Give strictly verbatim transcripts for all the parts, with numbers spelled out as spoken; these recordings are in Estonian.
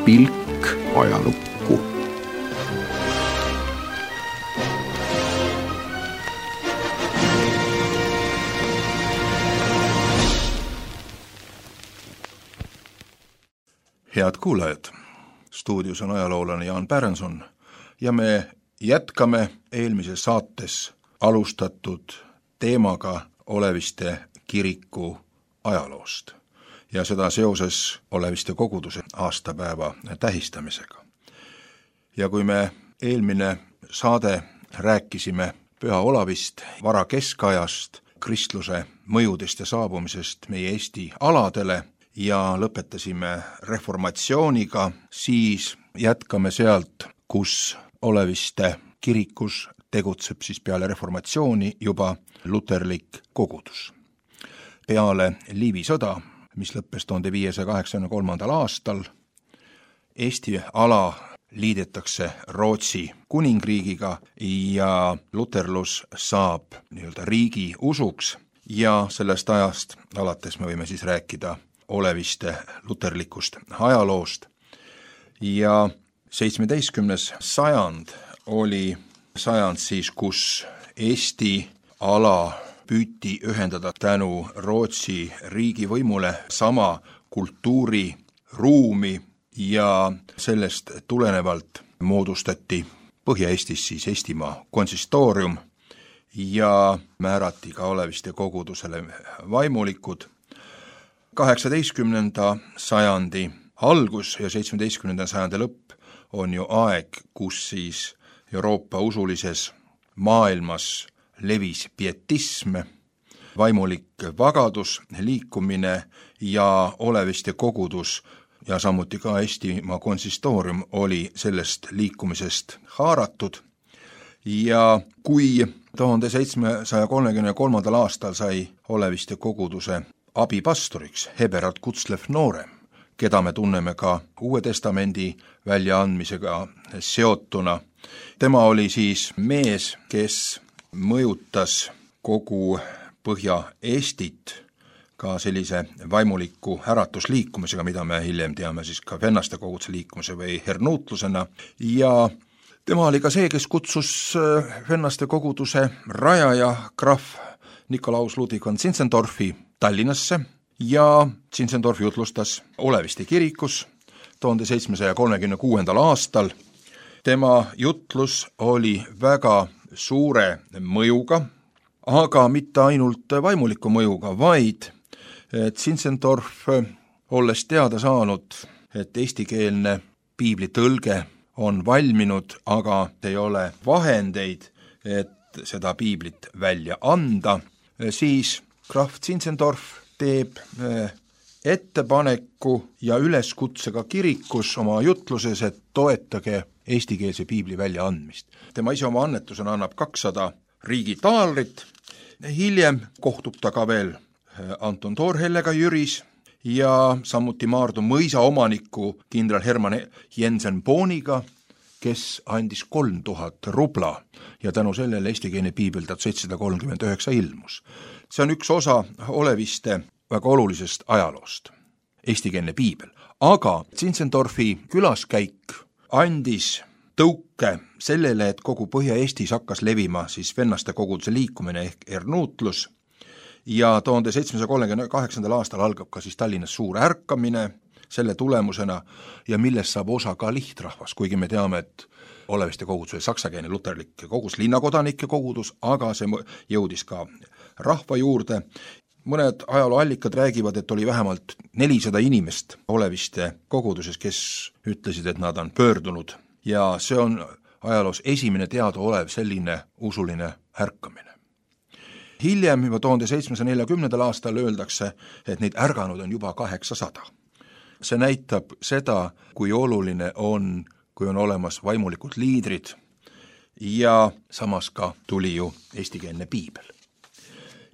Pilk ajalukku. Head kuulajad, stuudios on ajaloolane Jaan Pärenson ja me jätkame eelmises saates alustatud teemaga Oleviste kiriku ajaloost ja seda seoses Oleviste koguduse aastapäeva tähistamisega. Ja kui me eelmine saade rääkisime Püha Olavist, vara keskajast, kristluse mõjudest ja saabumisest meie Eesti aladele ja lõpetasime reformatsiooniga, siis jätkame sealt, kus Oleviste kirikus tegutseb siis peale reformatsiooni juba luterlik kogudus. Peale Liivi sõda, mis lõppes tuhande viiesaja kaheksakümne kolmandal aastal, Eesti ala liidetakse Rootsi kuningriigiga ja luterlus saab nii-öelda riigi usuks ja sellest ajast alates me võime siis rääkida Oleviste luterlikust ajaloost. Ja seitsmeteistkümnes sajand oli sajand siis, kus Eesti ala püüti ühendada tänu Rootsi riigivõimule sama kultuuriruumi ja sellest tulenevalt moodustati Põhja-Eestis siis Eestimaa konsistoorium ja määrati ka Oleviste kogudusele vaimulikud. kaheksateistkümnenda sajandi algus ja seitsmeteistkümnenda sajandi lõpp on ju aeg, kus siis Euroopa usulises maailmas levis pietism, vaimulik vagadus, liikumine ja Oleviste kogudus ja samuti ka Eestimaa konsistoorium oli sellest liikumisest haaratud. Ja kui tuhande seitsmesaja kolmekümne kolmandal aastal sai Oleviste koguduse abipastoriks Heberard Kutzlev Noorem, keda me tunneme ka Uue Testamendi väljaandmisega seotuna. Tema oli siis mees, kes mõjutas kogu Põhja-Eestit ka sellise vaimuliku äratusliikumisega, mida me hiljem teame siis ka vennaste koguduse liikumise või hernuutlusena. Ja tema oli ka see, kes kutsus vennaste koguduse rajaja krahv Nikolaus Ludwig von Zinzendorfi Tallinnasse ja Zinzendorf jutlustas Oleviste kirikus tuhande seitsmesaja kolmekümne kuuendal aastal. Tema jutlus oli väga suure mõjuga, aga mitte ainult vaimuliku mõjuga, vaid Zinzendorf, olles teada saanud, et eestikeelne piiblitõlge on valminud, aga ei ole vahendeid, et seda piiblit välja anda, siis krahv Zinzendorf teeb ettepaneku ja üleskutsega kirikus oma jutluses, et toetage eestikeelse piibli väljaandmist. Tema ise oma annetusena annab kakssada riigi taalrit, hiljem kohtub ta ka veel Anton Toorhellega Jüris ja samuti Maardu mõisa omaniku kindral Herman Jensen Booniga, kes andis kolm tuhat rubla ja tänu sellele eestikeelne piibel tuhat seitsesada kolmkümmend üheksa ilmus. See on üks osa Oleviste väga olulisest ajaloost, eestikeelne piibel. Aga Zinzendorfi külaskäik andis tõuke sellele, et kogu Põhja-Eestis hakkas levima siis vennaste koguduse liikumine ehk hernuutlus ja tuhande seitsmesaja kolmekümne kaheksandal aastal algab ka siis Tallinnas suur ärkamine selle tulemusena ja millest saab osa ka lihtrahvas, kuigi me teame, et Oleviste kogudus oli saksakeelne luterlik kogudus, linnakodanike kogudus, aga see jõudis ka rahva juurde. Mõned ajalooallikad räägivad, et oli vähemalt nelisada inimest Oleviste koguduses, kes ütlesid, et nad on pöördunud ja see on ajaloos esimene teadaolev selline usuline ärkamine. Hiljem juba tuhande seitsmesaja neljakümnendal aastal öeldakse, et neid ärganud on juba kaheksasada. See näitab seda, kui oluline on, kui on olemas vaimulikud liidrid ja samas ka tuli ju eestikeelne piibel.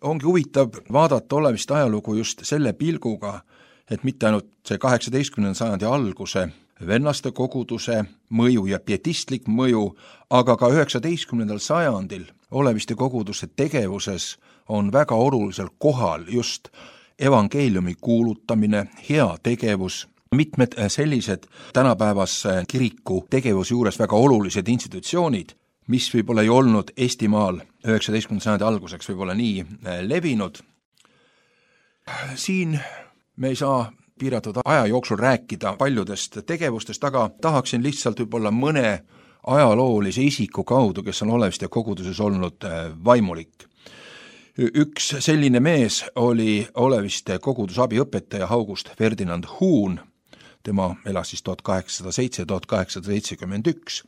ongi huvitav vaadata Oleviste ajalugu just selle pilguga, et mitte ainult see kaheksateistkümnenda sajandi alguse vennaste koguduse mõju ja pietistlik mõju, aga ka üheksateistkümnendal sajandil Oleviste koguduse tegevuses on väga olulisel kohal just evangeeliumi kuulutamine, hea tegevus, mitmed sellised tänapäevase kiriku tegevuse juures väga olulised institutsioonid, mis võib-olla ei olnud Eestimaal üheksateistkümnenda sajandi alguseks võib-olla nii levinud. Siin me ei saa piiratud aja jooksul rääkida paljudest tegevustest, aga tahaksin lihtsalt võib-olla mõne ajaloolise isiku kaudu, kes on Oleviste koguduses olnud vaimulik. Üks selline mees oli Oleviste koguduse abiõpetaja August Ferdinand Huun, tema elas siis tuhat kaheksasada seitse tuhat kaheksasada seitsekümmend üks.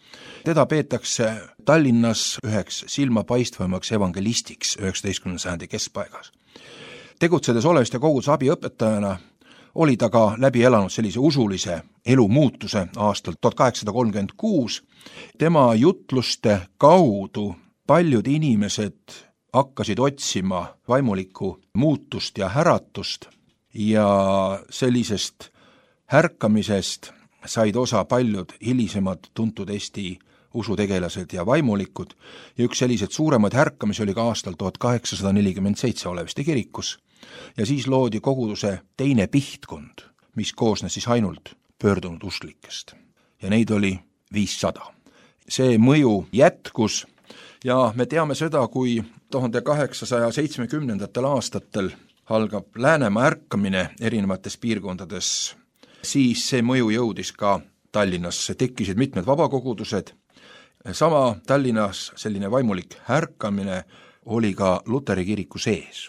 Teda peetakse Tallinnas üheks silmapaistvamaks evangelistiks üheksateistkümnenda sajandi keskpaigas. Tegutsedes Oleviste koguduse abiõpetajana oli ta ka läbi elanud sellise usulise elumuutuse aastal tuhat kaheksasada kolmkümmend kuus. Tema jutluste kaudu paljud inimesed hakkasid otsima vaimulikku muutust ja äratust ja sellisest härkamisest said osa paljud hilisemad tuntud Eesti usutegelased ja vaimulikud ja üks sellised suuremaid härkamisi oli ka aastal tuhat kaheksasada nelikümmend seitse Oleviste kirikus ja siis loodi koguduse teine pihtkond, mis koosnes siis ainult pöördunud usklikest ja neid oli viissada. See mõju jätkus ja me teame seda, kui tuhande kaheksasaja seitsmekümnendatel aastatel algab Läänemaa ärkamine erinevates piirkondades, siis see mõju jõudis ka Tallinnasse, tekkisid mitmed vabakogudused. Sama Tallinnas selline vaimulik ärkamine oli ka Luteri kiriku sees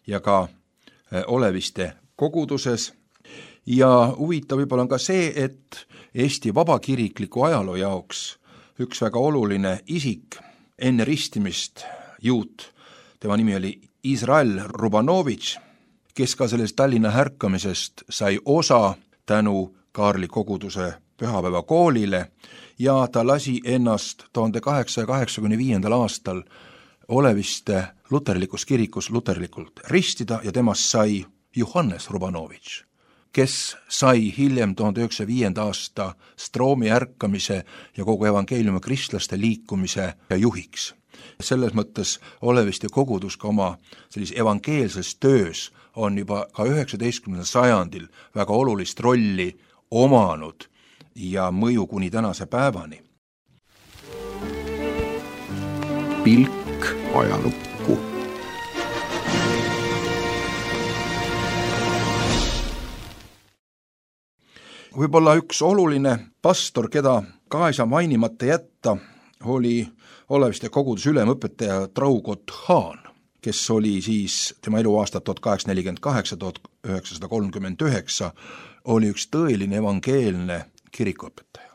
ja ka Oleviste koguduses. Ja huvitav võib-olla on ka see, et Eesti vabakirikliku ajaloo jaoks üks väga oluline isik enne ristimist juut, tema nimi oli Izrael Rubanovitš, kes ka sellest Tallinna ärkamisest sai osa tänu Kaarli koguduse pühapäevakoolile ja ta lasi ennast tuhande kaheksasaja kaheksakümne viiendal aastal Oleviste luterlikus kirikus luterlikult ristida ja temast sai Johannes Rubanovitš, kes sai hiljem tuhande üheksasaja viienda aasta Stroomi ärkamise ja kogu evangeeliumi kristlaste liikumise juhiks. Selles mõttes Oleviste kogudus ka oma sellise evangeelses töös on juba ka üheksateistkümnendal sajandil väga olulist rolli omanud ja mõju kuni tänase päevani. Pilk ajalukku. Võib-olla üks oluline pastor, keda ka ei saa mainimata jätta, oli Oleviste koguduse ülemõpetaja Traugott Haan, kes oli siis tema eluaastat tuhat kaheksasada nelikümmend kaheksa tuhat üheksasada kolmkümmend üheksa, oli üks tõeline evangeelne kirikuõpetaja.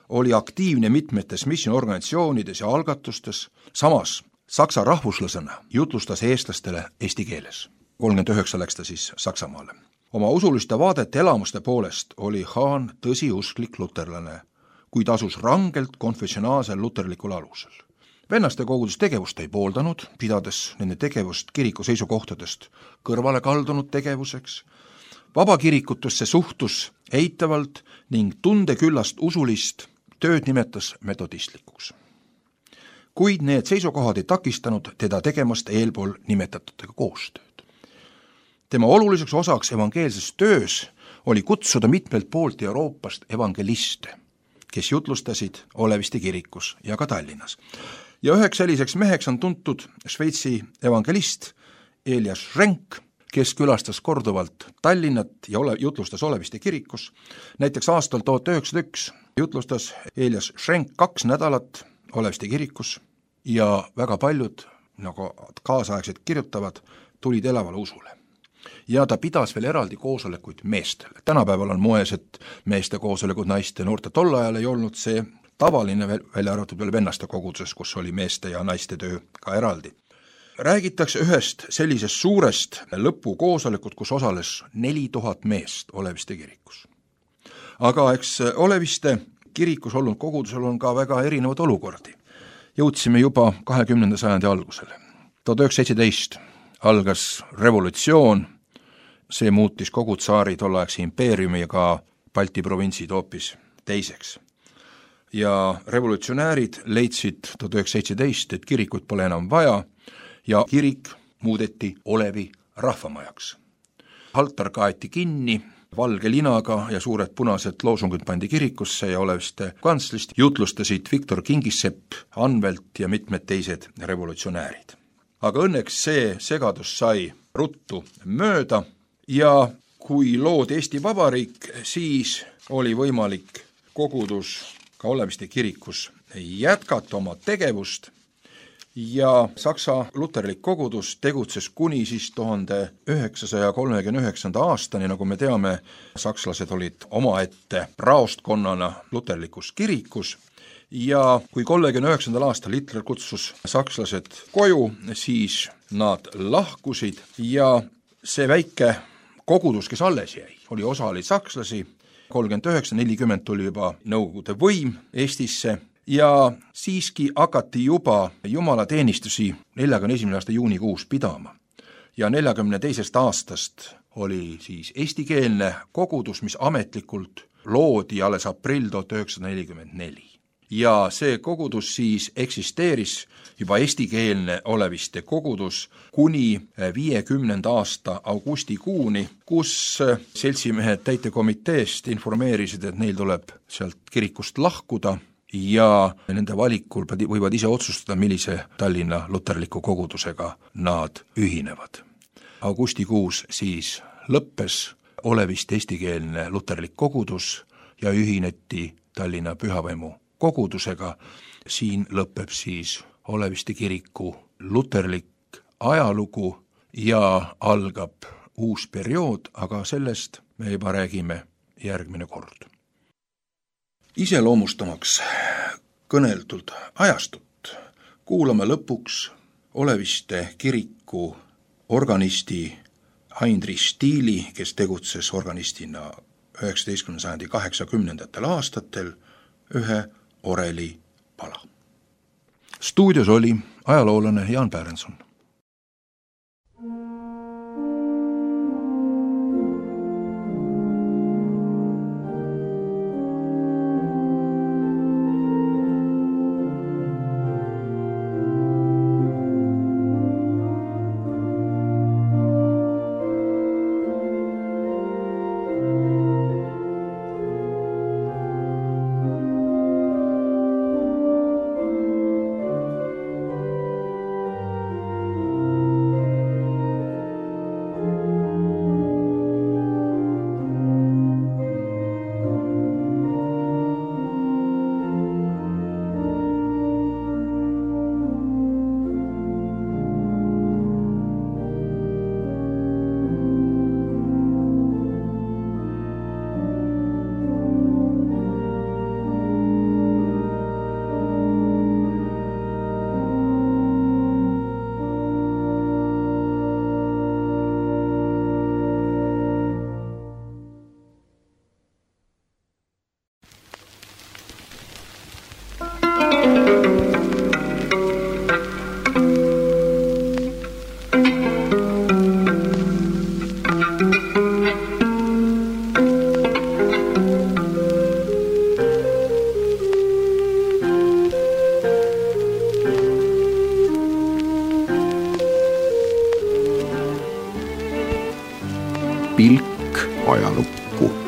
Oli aktiivne mitmetes missiooniorganisatsioonides ja algatustes, samas saksa rahvuslasena jutlustas eestlastele eesti keeles. kolmkümmend üheksa läks ta siis Saksamaale. Oma usuliste vaadete elamuste poolest oli Haan tõsiusklik luterlane, kuid asus rangelt konfessionaalsel luterlikul alusel. Vennaste kogudus tegevust ei pooldanud, pidades nende tegevust kiriku seisukohtadest kõrvale kaldunud tegevuseks. Vabakirikutusse suhtus eitavalt ning tundeküllast usulist tööd nimetas metodistlikuks. Kuid need seisukohad ei takistanud teda tegemast eelpool nimetatutega koostööd. Tema oluliseks osaks evangeelses töös oli kutsuda mitmelt poolt Euroopast evangeliste, kes jutlustasid Oleviste kirikus ja ka Tallinnas. Ja üheks selliseks meheks on tuntud Šveitsi evangelist Elias Schenk, kes külastas korduvalt Tallinnat ja ole, jutlustas Oleviste kirikus. Näiteks aastal tuhat üheksasada üks jutlustas Elias Schenk kaks nädalat Oleviste kirikus ja väga paljud, nagu kaasaegsed kirjutavad, tulid elavale usule. Ja ta pidas veel eraldi koosolekuid meestele. Tänapäeval on moes, et meeste koosolekud naiste noorte tol ajal ei olnud see tavaline, välja arvatud veel vennaste koguduses, kus oli meeste ja naiste töö ka eraldi. Räägitakse ühest sellisest suurest lõpukoosolekut, kus osales neli tuhat meest Oleviste kirikus. Aga eks Oleviste kirikus olnud kogudusel on ka väga erinevad olukordi. Jõudsime juba kahekümnenda sajandi algusele. tuhat üheksasada seitseteist algas revolutsioon, see muutis kogu tsaari tolleaegse impeeriumi ja ka Balti provintsid hoopis teiseks. Ja revolutsionäärid leidsid tuhat üheksasada seitseteist, et kirikut pole enam vaja ja kirik muudeti Olevi rahvamajaks. Altar kaeti kinni valge linaga ja suured punased loosungid pandi kirikusse ja Oleviste kantslist jutlustasid Viktor Kingissepp, Anvelt ja mitmed teised revolutsionäärid. Aga õnneks see segadus sai ruttu mööda ja kui loodi Eesti Vabariik, siis oli võimalik kogudus ka Oleviste kirikus jätkata oma tegevust ja Saksa luterlik kogudus tegutses kuni siis tuhande üheksasaja kolmekümne üheksanda aastani, nagu me teame, sakslased olid omaette praostkonnana luterlikus kirikus ja kui kolmekümne üheksandal aastal Hitler kutsus sakslased koju, siis nad lahkusid ja see väike kogudus, kes alles jäi, oli osa oli sakslasi, kolmkümmend üheksa, nelikümmend tuli juba Nõukogude võim Eestisse ja siiski hakati juba jumalateenistusi neljakümne esimese aasta juunikuus pidama. Ja neljakümne teisest aastast oli siis eestikeelne kogudus, mis ametlikult loodi alles aprill tuhat üheksasada nelikümmend neli. Ja see kogudus siis eksisteeris juba eestikeelne Oleviste kogudus kuni viiekümnenda aasta augustikuuni, kus seltsimehed täitekomiteest informeerisid, et neil tuleb sealt kirikust lahkuda ja nende valikul võivad ise otsustada, millise Tallinna luterliku kogudusega nad ühinevad. Augustikuus siis lõppes Oleviste eestikeelne luterlik kogudus ja ühineti Tallinna Pühavaimu kogudusega. Siin lõpeb siis Oleviste kiriku luterlik ajalugu ja algab uus periood, aga sellest me juba räägime järgmine kord. Iseloomustamaks kõneldud ajastut kuulame lõpuks Oleviste kiriku organisti Heinrich Stiili, kes tegutses organistina üheksateistkümnenda sajandi kaheksakümnendatel aastatel, ühe oreli pala. Stuudios oli ajaloolane Jaan Pärenson. Pilk ajalukku.